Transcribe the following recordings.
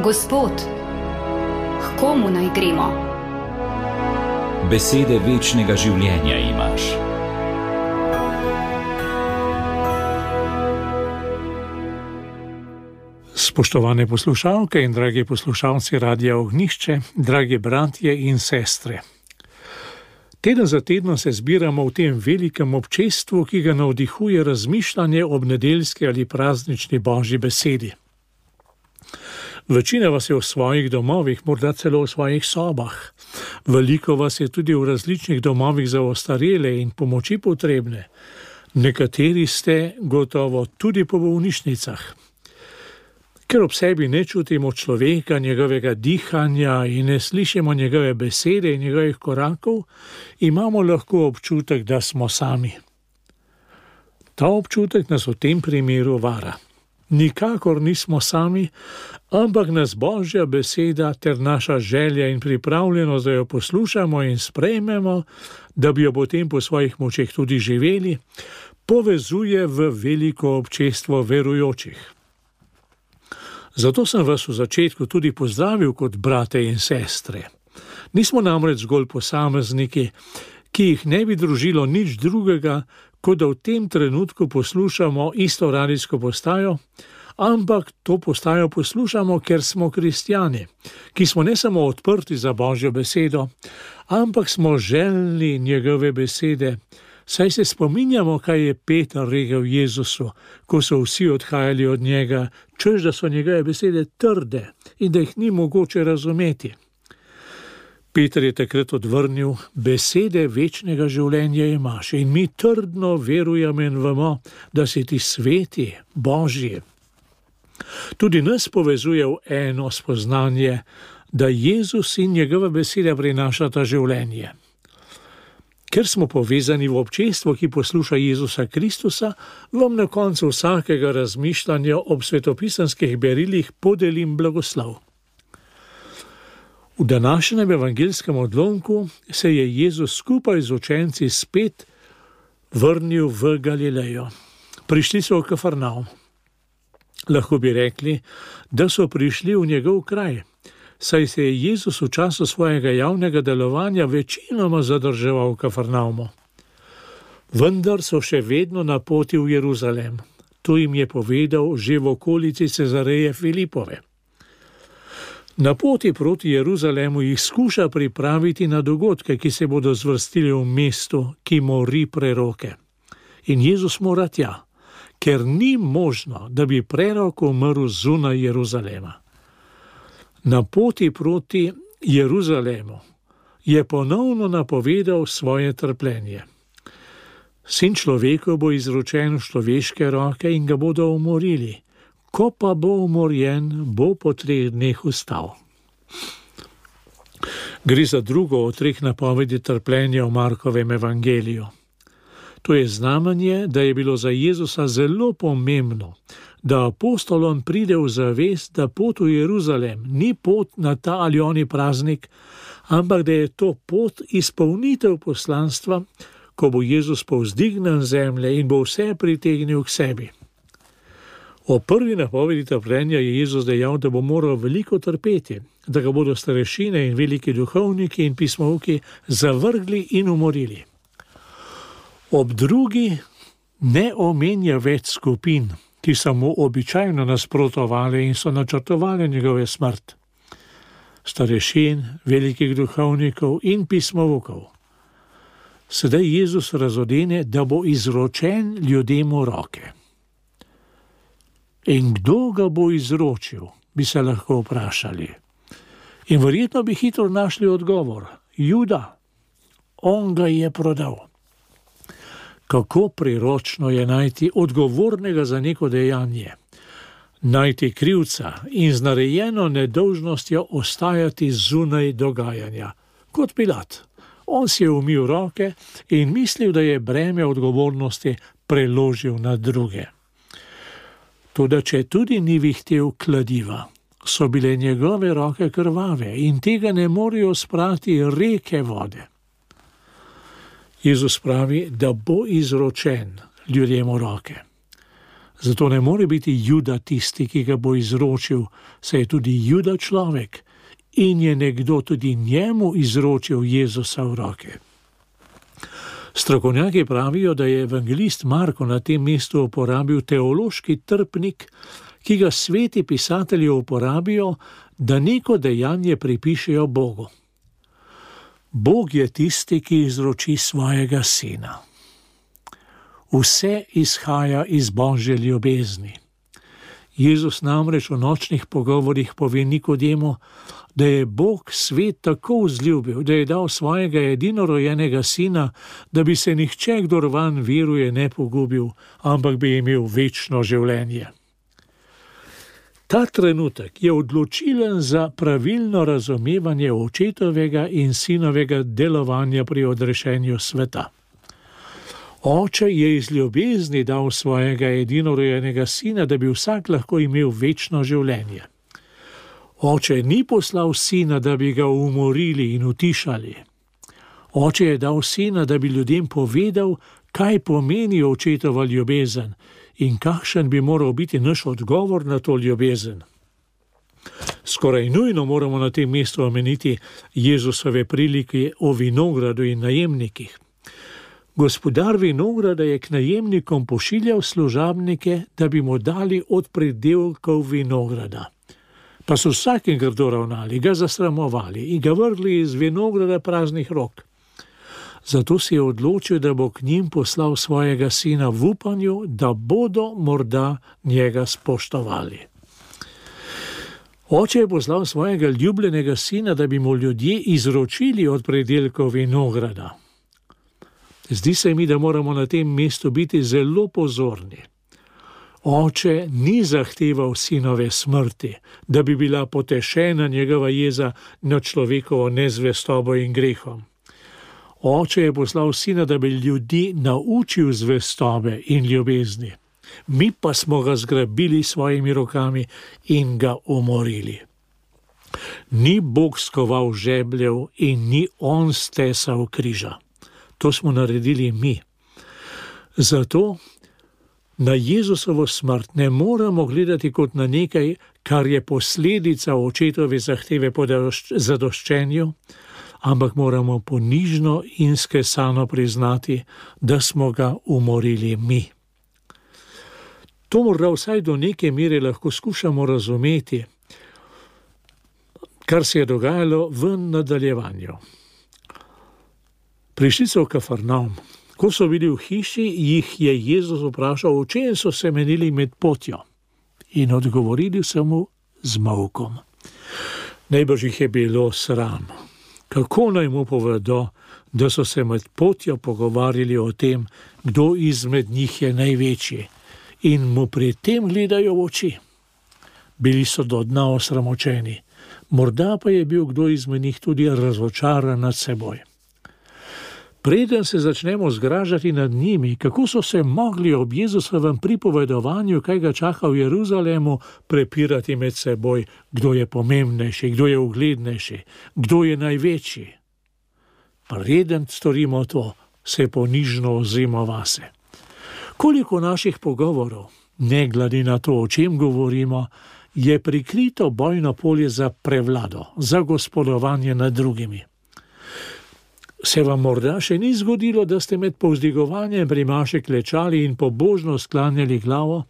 Gospod, k komu naj gremo? Besede večnega življenja imaš. Spoštovane poslušalke in dragi poslušalci Radia Ognjišče, dragi bratje in sestre. Teden za tednom se zbiramo v tem velikem občestvu, ki ga navdihuje razmišljanje ob nedeljski ali praznični Božji besedi. Večina vas je v svojih domovih, morda celo v svojih sobah. Veliko vas je tudi v različnih domovih za ostarele in pomoči potrebne. Nekateri ste gotovo tudi po bolnišnicah. Ker ob sebi ne čutimo človeka, njegovega dihanja in ne slišimo njegove besede in njegovih korakov, imamo lahko občutek, da smo sami. Ta občutek nas v tem primeru vara. Nikakor nismo sami, ampak nas Božja beseda ter naša želja in pripravljenost, da jo poslušamo in sprejmemo, da bi jo potem po svojih močeh tudi živeli, povezuje v veliko občestvo verujočih. Zato sem vas v začetku tudi pozdravil kot brate in sestre. Nismo namreč zgolj posamezniki, ki jih ne bi družilo nič drugega, kot da v tem trenutku poslušamo isto radijsko postajo, ampak to postajo poslušamo, ker smo kristjani, ki smo ne samo odprti za Božjo besedo, ampak smo željni njegove besede, saj se spominjamo, kaj je Peter rekel Jezusu, ko so vsi odhajali od njega, češ da so njegove besede trde in da jih ni mogoče razumeti. Peter je takrat odvrnil: besede večnega življenja imaš in mi trdno verujemo in vemo, da si ti sveti, Božji. Tudi nas povezuje v eno spoznanje, da Jezus in njegova beseda prinašata življenje. Ker smo povezani v občestvo, ki posluša Jezusa Kristusa, vam na koncu vsakega razmišljanja ob svetopisanskih berilih podelim blagoslov. V današnjem evangeljskem odlomku se je Jezus skupaj z učenci spet vrnil v Galilejo. Prišli so v Kafarnaum. Lahko bi rekli, da so prišli v njegov kraj, saj se je Jezus v času svojega javnega delovanja večinoma zadrževal v Kafarnaumu. Vendar so še vedno na poti v Jeruzalem. To jim je povedal že v okolici Cezareje Filipove. Na poti proti Jeruzalemu jih skuša pripraviti na dogodke, ki se bodo zvrstili v mestu, ki mori preroke. In Jezus mora tja, ker ni možno, da bi prerok umrl zunaj Jeruzalema. Na poti proti Jeruzalemu je ponovno napovedal svoje trpljenje. Sin človekov bo izročen v človeške roke in ga bodo umorili. Ko pa bo umorjen, bo po 3 dneh vstal. Gre za drugo od 3 napovedi trpljenja v Markovem evangeliju. To je znamenje, da je bilo za Jezusa zelo pomembno, da apostolom pride v zavest, da pot v Jeruzalem ni pot na ta ali oni praznik, ampak da je to pot izpolnitev poslanstva, ko bo Jezus povzdignjen z zemlje in bo vse pritegnil k sebi. O prvi napovedi trpljenja je Jezus dejal, da bo moral veliko trpeti, da ga bodo starešine in veliki duhovniki in pismovki zavrgli in umorili. Ob drugi ne omenja več skupin, ki so mu običajno nasprotovali in so načrtovali njegove smrt. Starešin, velikih duhovnikov in pismovkov. Sedaj Jezus razodene, da bo izročen ljudem v roke. In kdo ga bo izročil, bi se lahko vprašali. In verjetno bi hitro našli odgovor. Juda, on ga je prodal. Kako priročno je najti odgovornega za neko dejanje, najti krivca in z narejeno nedolžnostjo ostajati zunaj dogajanja. Kot Pilat, on si je umil roke in mislil, da je breme odgovornosti preložil na druge. Toda če tudi ni vihtel kladiva, so bile njegove roke krvave in tega ne morejo sprati reke vode. Jezus pravi, da bo izročen ljudem v roke. Zato ne more biti Juda tisti, ki ga bo izročil, saj je tudi Juda človek in je nekdo tudi njemu izročil Jezusa v roke. Strokovnjaki pravijo, da je evangelist Marko na tem mestu uporabil teološki trpnik, ki ga sveti pisatelji uporabijo, da neko dejanje pripišejo Bogu. Bog je tisti, ki izroči svojega sina. Vse izhaja iz Božje ljubezni. Jezus namreč v nočnih pogovorih pove Nikodemu, da je Bog svet tako vzljubil, da je dal svojega edinorojenega sina, da bi se nihče, kdor vanj veruje, ne pogubil, ampak bi imel večno življenje. Ta trenutek je odločilen za pravilno razumevanje očetovega in sinovega delovanja pri odrešenju sveta. Oče je iz ljubezni dal svojega edinorojenega sina, da bi vsak lahko imel večno življenje. Oče ni poslal sina, da bi ga umorili in utišali. Oče je dal sina, da bi ljudem povedal, kaj pomeni očetova ljubezen in kakšen bi moral biti naš odgovor na to ljubezen. Skoraj nujno moramo na tem mestu omeniti Jezusove prilike o vinogradu in najemnikih. Gospodar vinograda je k najemnikom pošiljal služabnike, da bi mu dali od pridelkov vinograda. Pa so vsakim grdo ravnali, ga zasramovali in ga vrgli iz vinograda praznih rok. Zato si je odločil, da bo k njim poslal svojega sina v upanju, da bodo morda njega spoštovali. Oče je poslal svojega ljubljenega sina, da bi mu ljudje izročili od pridelkov vinograda. Zdi se mi, da moramo na tem mestu biti zelo pozorni. Oče ni zahteval sinove smrti, da bi bila potešena njegova jeza nad človekovo nezvestobo in grehom. Oče je poslal sina, da bi ljudi naučil zvestobe in ljubezni. Mi pa smo ga zgrabili svojimi rokami in ga umorili. Ni Bog skoval žebljev in ni on stesal križa. To smo naredili mi. Zato na Jezusovo smrt ne moramo gledati kot na nekaj, kar je posledica očetove zahteve po zadoščenju, ampak moramo ponižno in skesano priznati, da smo ga umorili mi. To morda vsaj do neke mere lahko skušamo razumeti, kar se je dogajalo v nadaljevanju. Prišli so v Kafarnaum. Ko so bili v hiši, jih je Jezus vprašal, o čem so se menili med potjo. In odgovorili so mu z molkom. Najbrž jih je bilo sram. Kako naj mu povedo, da so se med potjo pogovarjali o tem, kdo izmed njih je največji, in mu pri tem gledajo v oči. Bili so do dna osramočeni. Morda pa je bil kdo izmed njih tudi razočaran nad seboj. Preden se začnemo zgražati nad njimi, kako so se mogli ob Jezusovem pripovedovanju, kaj ga čaka v Jeruzalemu, prepirati med seboj, kdo je pomembnejši, kdo je uglednejši, kdo je največji. Preden storimo to, se ponižno ozrimo vase. Koliko naših pogovorov, ne glede na to, o čem govorimo, je prikrito bojno polje za prevlado, za gospodovanje nad drugimi. Se vam morda še ni zgodilo, da ste med povzdigovanjem pri maši klečali in pobožno sklanjali glavo,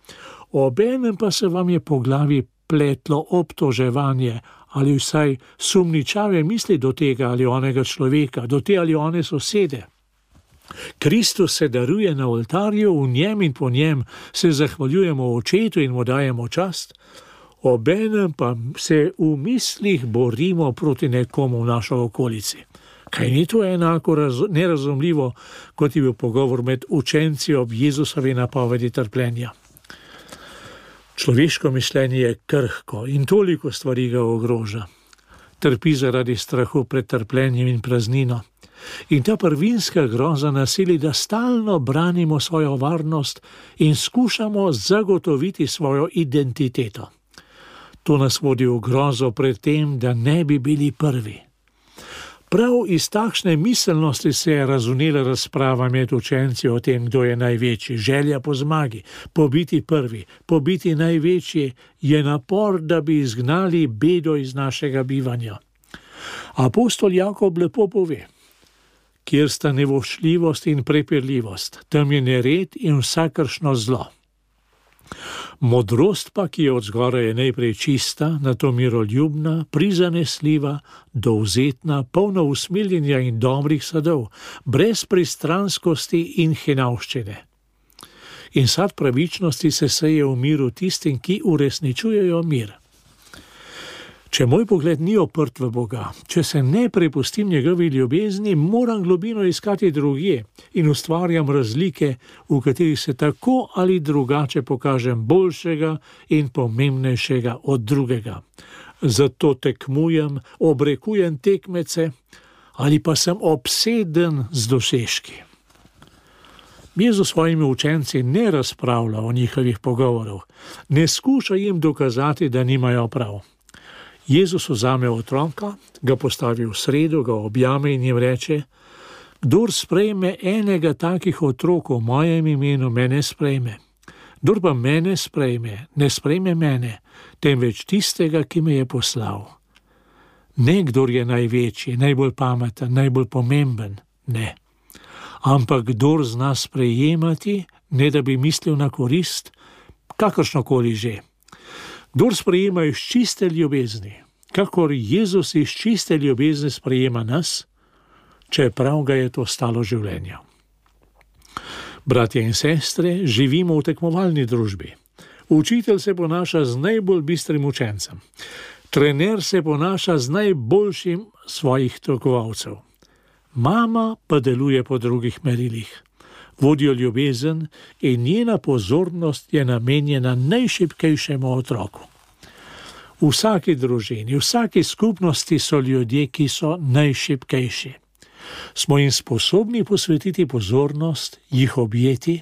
obenem pa se vam je po glavi pletlo obtoževanje ali vsaj sumničave misli do tega ali onega človeka, do te ali one sosede. Kristus se daruje na oltarju, v njem in po njem se zahvaljujemo očetu in mu dajemo čast, obenem pa se v mislih borimo proti nekomu v našo okolici. Kaj ni to enako nerazumljivo, kot je bil pogovor med učenci ob Jezusovi napovedi trpljenja? Človeško mišljenje je krhko in toliko stvari ga ogroža. Trpi zaradi strahu pred trpljenjem in praznino. In ta prvinska groza nasili, da stalno branimo svojo varnost in skušamo zagotoviti svojo identiteto. To nas vodi v grozo pred tem, da ne bi bili prvi. Prav iz takšne miselnosti se je razvnela razprava med učenci o tem, kdo je največji. Želja po zmagi, po biti prvi, po biti največji je napor, da bi izgnali bedo iz našega bivanja. Apostol Jakob lepo pove: kjer sta nevoščljivost in prepirljivost, tam je nered in vsakršno zlo. Modrost pa, ki je od zgoraj, je najprej čista, nato miroljubna, prizanesljiva, dovzetna, polna usmiljenja in dobrih sadov, brez pristranskosti in hinavščine. In sad pravičnosti se seje v miru tistim, ki uresničujejo mir. Če moj pogled ni oprt v Boga, če se ne prepustim njegovi ljubezni, moram globino iskati drugje in ustvarjam razlike, v katerih se tako ali drugače pokažem boljšega in pomembnejšega od drugega. Zato tekmujem, obrekujem tekmece ali pa sem obseden z dosežki. Jezus svojimi učenci ne razpravlja o njihovih pogovorov, ne skuša jim dokazati, da nimajo prav. Jezus vzame otroka, ga postavi v sredo, ga objame in jim reče: kdor sprejme enega takih otrok v mojem imenu, mene sprejme. Kdor pa mene sprejme, ne sprejme mene, temveč tistega, ki me je poslal. Ne kdor je največji, najbolj pameten, najbolj pomemben, ne. Ampak kdor zna sprejemati, ne da bi mislil na korist, kakršnokoli že. Kdor sprejema iz čiste ljubezni, kakor Jezus iz čiste ljubezni sprejema nas, čeprav ga je to stalo življenja. Bratje in sestre, živimo v tekmovalni družbi. Učitelj se ponaša z najbolj bistrim učencem. Trener se ponaša z najboljšim svojih tekmovalcev. Mama pa deluje po drugih merilih. Vodijo ljubezen in njena pozornost je namenjena najšibkejšemu otroku. V vsaki družini, v vsaki skupnosti so ljudje, ki so najšibkejši. Smo jim sposobni posvetiti pozornost, jih objeti?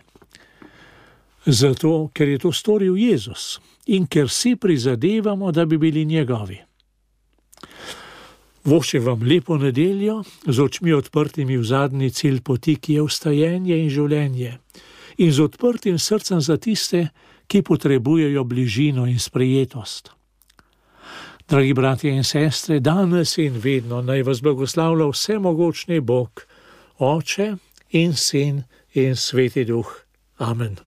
Zato, ker je to storil Jezus in ker si prizadevamo, da bi bili njegovi. Voščem vam lepo nedeljo, z očmi odprtimi v zadnji cilj poti, ki je vstajenje in življenje, in z odprtim srcem za tiste, ki potrebujejo bližino in sprejetost. Dragi bratje in sestre, danes in vedno naj vas blagoslavlja vsemogočni Bog, Oče in Sin in Sveti Duh. Amen.